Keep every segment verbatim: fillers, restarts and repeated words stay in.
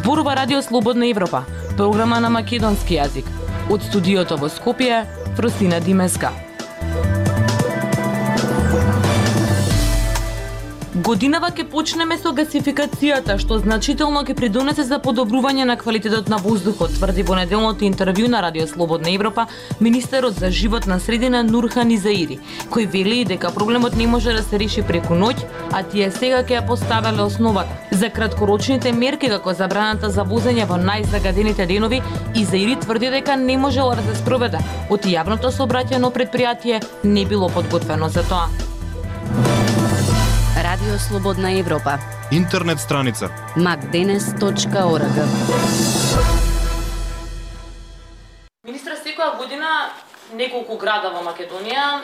Зборува Радио Слободна Европа, програма на македонски јазик. Од студиото во Скопје, Фростина Димеска. Годинава ќе почнеме со гасификацијата, што значително ќе придонесе за подобрување на квалитетот на воздухот, тврди во неделното интервју на Радио Слободна Европа министерот за животна средина Нурхан Изаири, кој вели дека проблемот не може да се реши преку ноќ, а тие сега ќе ја поставеле основата. За краткорочните мерки како забраната за возење во најзагадените денови, Изаири тврди дека не можело да се спроведе, оти јавното сообраќајно предпријатие не било подготвено за тоа. Радио Слободна Европа. Интернет страница макденес точка орг. Министра, секоја година неколку града во Македонија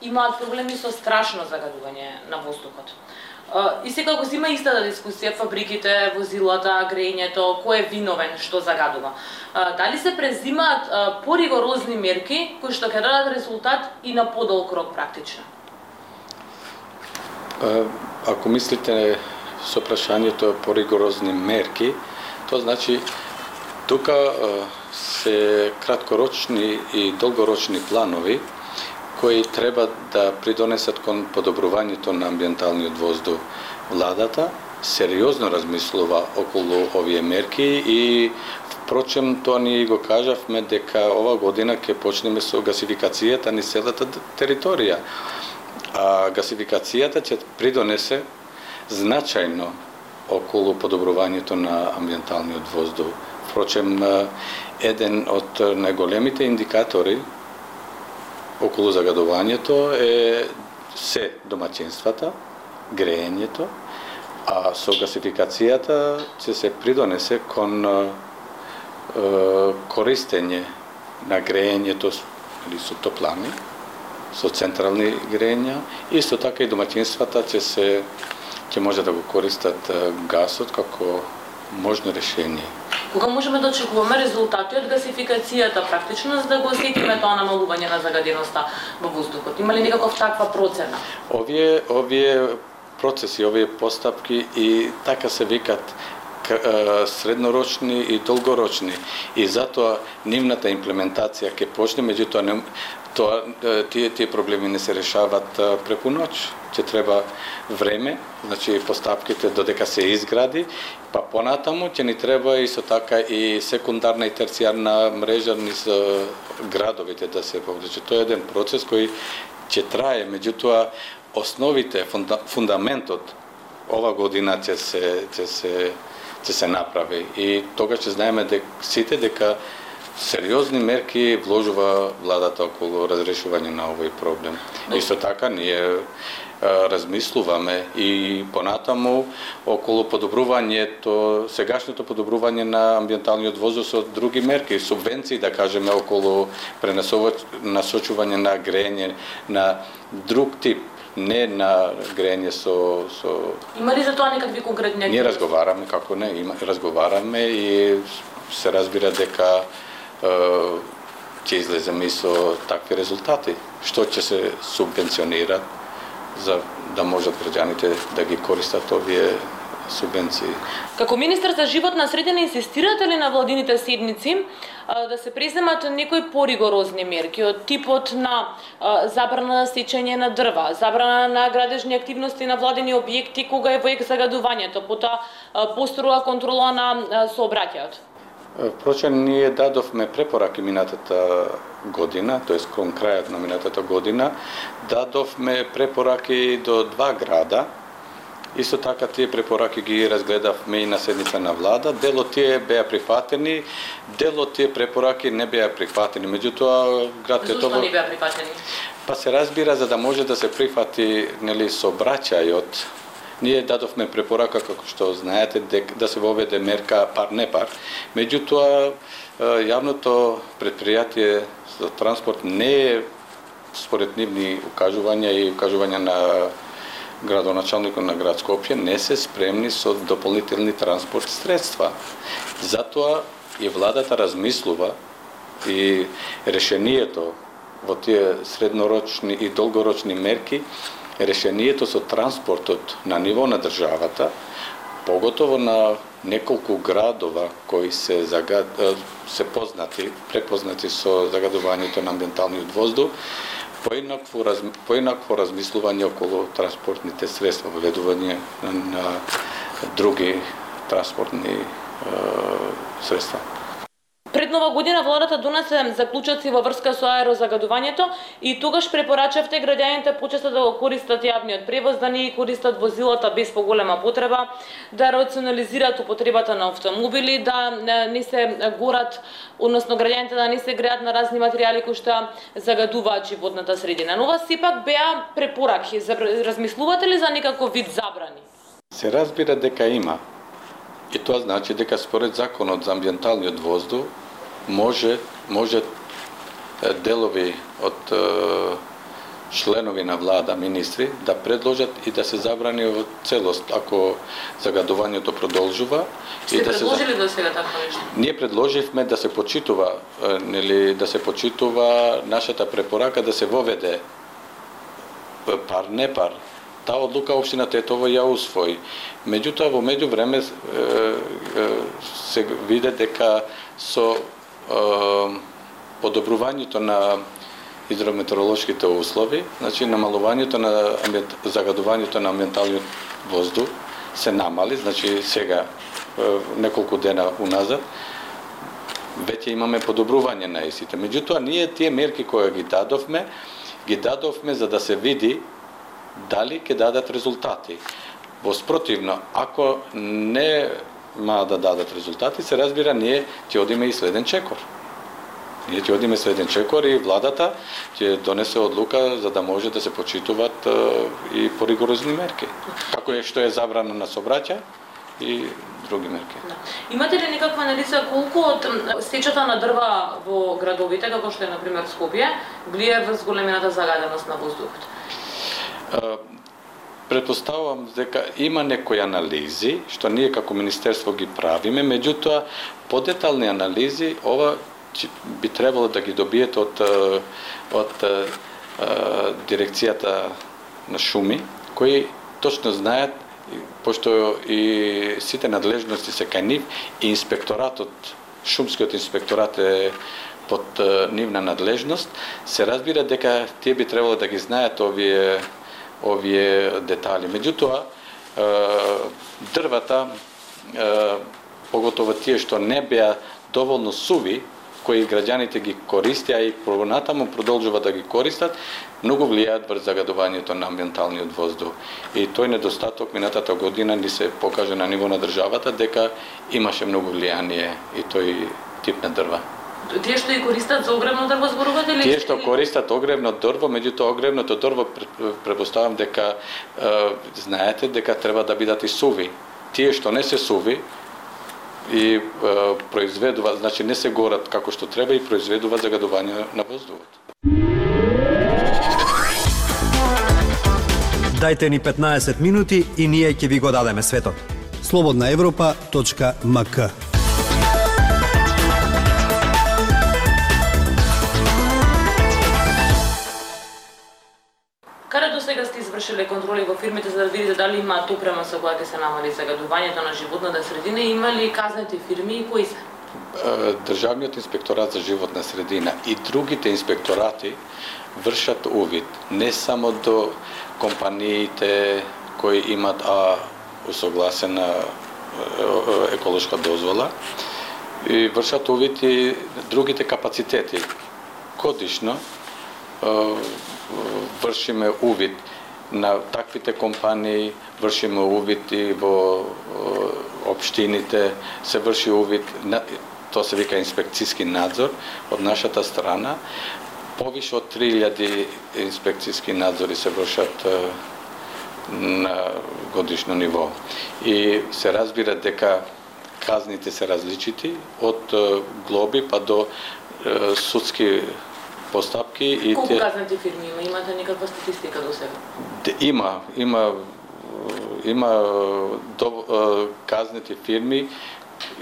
имаат проблеми со страшно загадување на воздухот. И секако се има истата дискусија, фабриките, возилата, грејењето, кој е виновен што загадува. Дали се презимаат поригорозни мерки кои што ќе дадат резултат и на подолг рок практично? Ако мислите со прашањето поригорозни мерки, тоа значи тука се краткорочни и долгорочни планови кои треба да придонесат кон подобрувањето на амбиенталниот воздух. Владата сериозно размислува околу овие мерки и впрочем тоа ние го кажавме дека ова година ќе почнеме со гасификацијата на целата територија. А гасификацијата ќе придонесе значајно околу подобрувањето на амбиенталниот воздух. Впрочем, еден од најголемите индикатори околу загадувањето е се домаќинствата, грејењето, а со гасификацијата ќе се придонесе кон е, користење на грејењето или со топлани, со централни грејења, исто така и домаќинствата ќе се ќе може да го користат гасот како можно решение. Кога можеме да очекуваме резултати од гасификацијата практично за да го осетиме тоа намалување на загаденоста во воздухот? Има ли некаков таква процена? Овие овие процеси, овие постапки и така се викат среднорочни и долгорочни и затоа нивната имплементација ќе почне, меѓутоа не тоа тие тие проблеми не се решават преку ноќ. Ќе треба време, значи постапките додека се изгради, па понатаму ќе ни треба исто така и секундарна и терцијарна мрежа низ градовите да се повлече. Тоа е еден процес кој ќе трае, меѓутоа основите, фунда, фундаментот ова година ќе се ќе се ќе се направи и тогаш ќе знаеме дека сите дека сериозни мерки вложува владата околу разрешување на овој проблем. Исто така ние размислуваме и понатаму околу подобрувањето, сегашното подобрување на амбиенталниот воздух со други мерки, субвенции да кажеме околу пренасочување на грејење на друг тип, не на грејење со со Има ли за тоа некакви конкретни? Ние разговараме, како не, има разговараме и се разбира дека ќе излеземе и со такви резултати. Што ќе се субвенционира за да можат граѓаните да ги користат овие субвенции. Како министар за животна средина инсистирате ли на владините седници а, да се преземат некои поригорозни мерки од типот на а, забрана на сечење на дрва, забрана на градежни активности на владени објекти кога е во ек загадувањето, потоа построга контрола на а, сообраќајот? Впрочем, ние дадовме препораки минатата година, тоест кон крајот на минатата година, дадовме препораки до два града. Исто така тие препораки ги разгледавме и на седница на влада. Дел од тие беа прифатени, дел од тие препораки не беа прифатени. Меѓутоа град Тетово... Зошто не беа прифатени? Па се разбира за да може да се прифати, нели, сообраќајот. Ние дадовме препорака, како што знаете, да се воведе мерка пар не пар. Меѓутоа, јавното предпријатие за транспорт не е според нивни укажувања и укажувања на градоначалникот на град Скопје не се спремни со дополнителни транспорт средства. Затоа и владата размислува и решението во тие среднорочни и долгорочни мерки, решението со транспортот на ниво на државата, поготово на неколку градова кои се загад... се познати, препознати со загадувањето на амбиенталниот воздух, поинакво раз... поинакво размислување околу транспортните средства, воведување на други транспортни е, средства. Пред нова година владата донесе заклучоци во врска со аерозагадувањето и тогаш препорачавте граѓаните почесто да го користат јавниот превоз, да не користат возилата без поголема потреба, да рационализираат употребата на автомобили, да не се горат, односно граѓаните да не се греат на разни материјали кои што загадуваат животната средина. Но ова сепак беа препораки. Размислувате ли за некаков вид забрани? Се разбира дека има. И тоа значи дека според законот за амбиенталниот воздух може може делови од членови на влада, министри, да предложат и да се забрани во целост ако загадувањето продолжува. Сте и да предложили се... до сега такво нешто? Ние предложивме да се почитува, нели, да се почитува нашата препорака да се воведе пар не пар. Таа одлука општината Тетово ја усвои. Меѓутоа во меѓувреме се виде дека со е, подобрувањето на хидрометеоролошките услови, значи намалувањето на амбиент, загадувањето на амбиенталниот воздух се намали, значи сега е, неколку дена уназад веќе имаме подобрување на истите. Меѓутоа ние тие мерки кои ги дадовме, ги дадовме за да се види дали ќе дадат резултати. Во спротивно, ако не ма да дадат резултати, се разбира, ние ќе одиме и следен чекор. Ние ќе одиме следен чекор и владата ќе донесе одлука за да може да се почитуваат и поригорозни мерки. Како е што е забрана на сообраќај и други мерки. Да. Имате ли некаква анализа колку од сечата на дрва во градовите, како што е на пример Скопје, влијае врз големината загаденост на воздухот? Претпоставувам дека има некои анализи што ние како министерство ги правиме, меѓутоа подетални анализи ова би требало да ги добиете од од дирекцијата на шуми, кои точно знаат, пошто и сите надлежности се кај нив и инспекторатот, шумскиот инспекторат е под нивна надлежност, се разбира дека тие би требало да ги знаат овие овие детали. Меѓутоа, дрвата, поготово тие што не беа доволно суви, кои граѓаните ги користеа и понатаму продолжува да ги користат, многу влијаат врз загадувањето на амбиенталниот воздух. И тој недостаток минатата година ни се покажа на ниво на државата дека имаше многу влијание и тој тип на дрва. Тие што и користат за огревно дрво зборувате ли? Тие што користат огревно дрво, меѓутоа огревното дрво претпоставам дека е, знаете дека треба да бидат и суви. Тие што не се суви и е, произведуваат, значи не се горат како што треба и произведуваат загадување на воздухот. Дајте ни петнаесет минути и ние ќе ви го дадеме светот. слободна европа точка ем ка. Каде до сега сте извршиле контроли во фирмите за да видите дали имаат опрема со која ќе се намали загадувањето на животната средина и има ли казнати фирми и кои се? Државниот инспекторат за животна средина и другите инспекторати вршат увид не само до компаниите кои имат а усогласена еколошка дозвола, и вршат увид и другите капацитети. Годишно вршиме увид на таквите компании, вршиме увид и во општините, се врши увид, тоа се вика инспекцијски надзор од нашата страна. Повише од три илјади инспекцијски надзори се вршат на годишно ниво. И се разбира дека казните се различити, од глоби па до судски постапки. И колку те... казнати фирми има? Имате некаква статистика до сега? Има, има, има до, казнати фирми,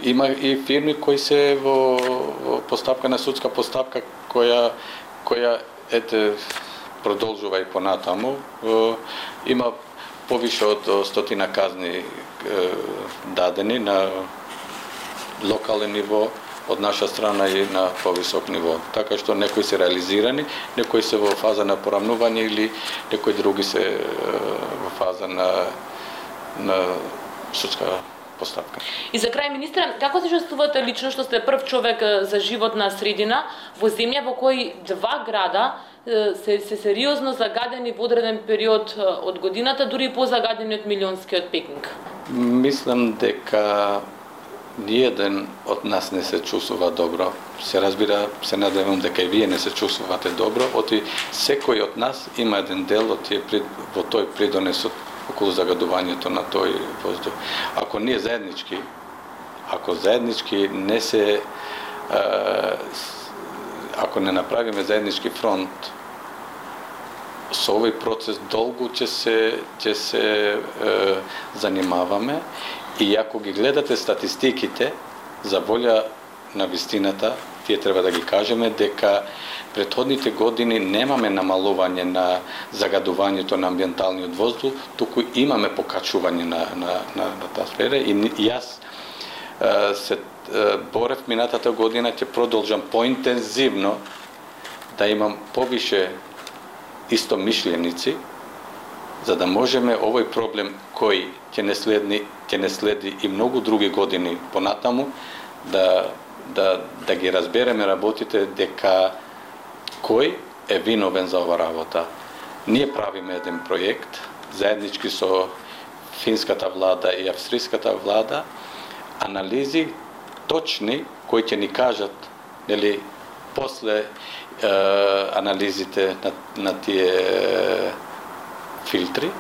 има и фирми кои се во, во постапка на судска постапка која која ете продолжува и понатаму. Има повише од стотина казни дадени на локален ниво, од наша страна и на повисок ниво. Така што некои се реализирани, некои се во фаза на порамнување или некои други се во фаза на на судска постапка. И за крај, министре, како се чувствувате лично што сте прв човек за животна средина во земја во кој два града се, се сериозно загадени во одреден период од годината, дури позагадени од милионскиот Пекинг? Мислам дека ниеден од нас не се чувствува добро. Се разбира, се надевам дека и вие не се чувствувате добро, оти секој од нас има еден дел од тие во тој придонес околу загадувањето на тој воздух. Ако ние заеднички, ако заеднички не се ако не направиме заеднички фронт, со овој процес долго ќе се ќе се е, занимаваме. И ако ги гледате статистиките, за волја на вистината, тие треба да ги кажеме дека претходните години немаме намалување на загадувањето на амбиенталниот воздух, туку имаме покачување на на на, на таа сфера. И, и јас е, се е, борев минатата година, ќе продолжам поинтензивно да имам повише истомишленици, за да можеме овој проблем кој ќе не следни, ќе не следи и многу други години понатаму, да да да ги разбереме работите дека кој е виновен за ова работа. Ние правиме еден проект заеднички со финската влада и австриската влада, анализи точни кои ќе ни кажат, нели, после е, анализите на, на тие филтри,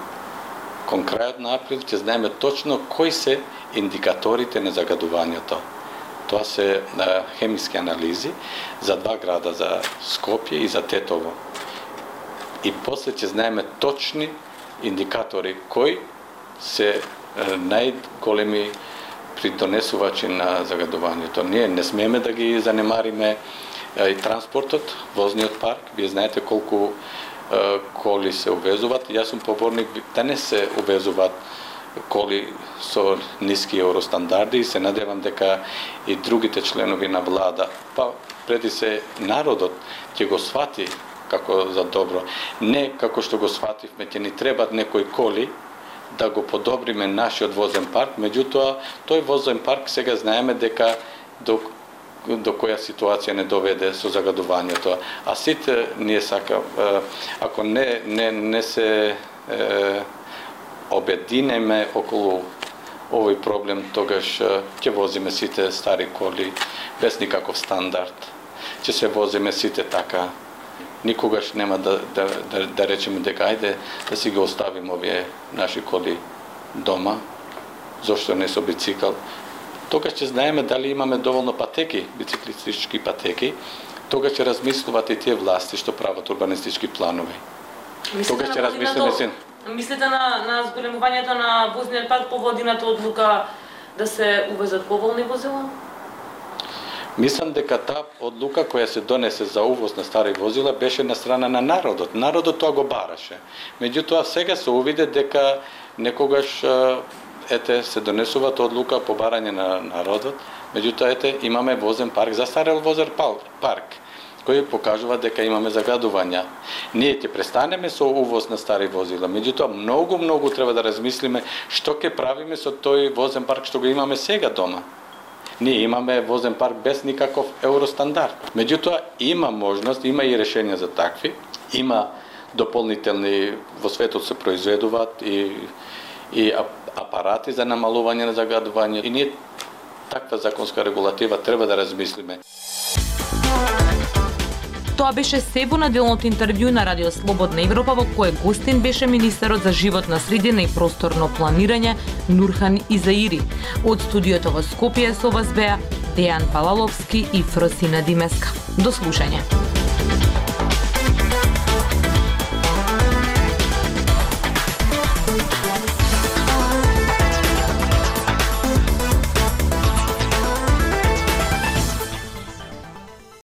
кон крајот на април ќе знаеме точно кои се индикаторите на загадувањето. Тоа се а, хемиски анализи за два града, за Скопје и за Тетово. И после ќе знаеме точни индикатори кои се а, најголеми придонесувачи на загадувањето. Ние не смееме да ги занемариме а, и транспортот, возниот парк. Вие знаете колку а, коли се увезуваат. Јас сум поборник да не се увезуваат коли со ниски евростандарди и се надевам дека и другите членови на влада, па преди се народот ќе го свати како за добро. Не како што го свативме, ќе ни требат некои коли да го подобриме нашиот возен парк, меѓутоа тој возен парк сега знаеме дека до до која ситуација не доведе со загадувањето. А сите ние сака, ако не не не се е, обединеме околу овој проблем, тогаш ќе возиме сите стари коли без никаков стандард. Ќе се возиме сите така. Никогаш нема да да да, да речеме дека ајде да си ги оставиме овие наши коли дома, зошто не со бицикл. Тогаш ќе знаеме дали имаме доволно патеки, бициклистички патеки. Тогаш ќе размислуваат и тие власти што прават урбанистички планови. Тогаш ќе размислиме син. Мислите на, на зголемувањето на возниот парк по водината одлука да се увезат поволни возила? Мислам дека таа одлука која се донесе за увоз на стари возила беше на страна на народот. Народот тоа го бараше. Меѓутоа сега се увиде дека некогаш ете се донесуваат одлука по барање на народот. Меѓутоа ете имаме возен парк, застарел возен парк, кој покажува дека имаме загадувања. Ние ќе престанеме со увоз на стари возила, меѓутоа многу многу треба да размислиме што ќе правиме со тој возен парк што го имаме сега дома. Ние имаме возен парк без никаков евростандард. Меѓутоа има можност, има и решенија за такви, има дополнителни, во светот се произведуваат и и апарати за намалување на загадување и ние таква законска регулатива треба да размислиме. Тоа беше се во неделното интервју на Радио Слободна Европа, во кое гостин беше министерот за животна средина и просторно планирање Нурхан Изаири. Од студиото во Скопје со вас беа Дејан Палаловски и Фросина Димеска. До слушање.